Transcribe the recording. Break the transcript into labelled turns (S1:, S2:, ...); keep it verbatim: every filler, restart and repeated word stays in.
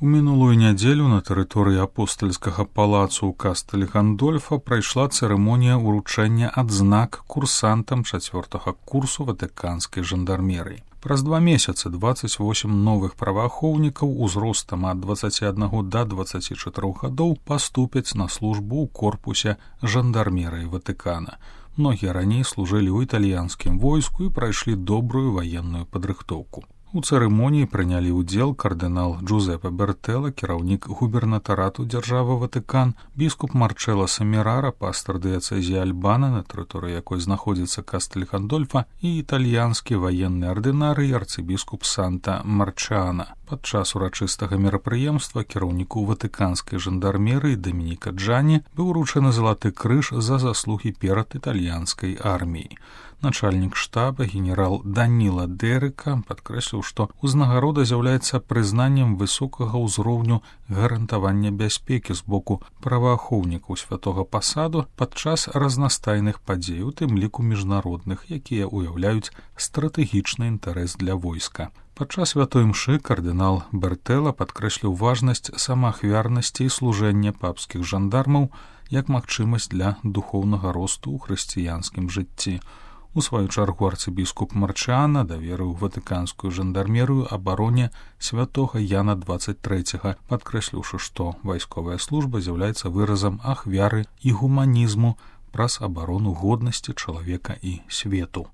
S1: У мінулую нядзелю на тэрыторыі апостальскага палацу ў кастэлі Гандольфа прайшла цырымонія ўручэння адзнак курсантам чацвёртага курсу ватыканскай жандармерыі. Праз два месяцы дваццаць восем новых праваахоўнікаў узростам ад дваццаці аднаго да дваццаці чатырох гадоў паступяць на службу ў корпусе жандармерыі Ватыкана. Многія раней служылі ў італьянскім войску і прайшлі добрую ваенную падрыхтоўку. У цырымоніі прынялі ўдзел кардынал Джузепе Бертэлла, кіраўнік губернатарату дзяржавы Ватыкан, біскуп Марчэлло Семерара, пастар дыяцэзіі Альбана, на тэрыторыі якой знаходзіцца кастэль Гандольфа, і італьянскі ваенны ардынарый арцыбіскуп Санта Марчана. Падчас урачыстага мерапрыемства кіраўніку ватыканскай жандармерыі Дамініка Джані быў уручаны залаты крыж за заслугі перад італьянскай арміяй. Начальнік штаба генерал Даніла Дэрыка падкрэсліў, што ўзнагарода з'яўляецца прызнаннем высокага ўзроўню гарантавання бяспекі з боку праваахоўнікаў святога пасаду падчас разнастайных падзей, у тым ліку міжнародных, якія ўяўляюць стратэгічны інтарэс для войска. Падчас святой імшы кардынал Бертэлла падкрэсліў важнасць самаахвярнасці і служэння папскіх жандармаў як магчымасць для духоўнага росту ў хрысціянскім жыцці. У сваю чаргу арцыбіскуп Марчана даверыў ватыканскую жандармерыю абароне святога Яна дваццаць трэцяга, падкрэсліўшы, што вайсковая служба з'яўляецца выразам ахвяры і гуманізму праз абарону годнасці чалавека і свету.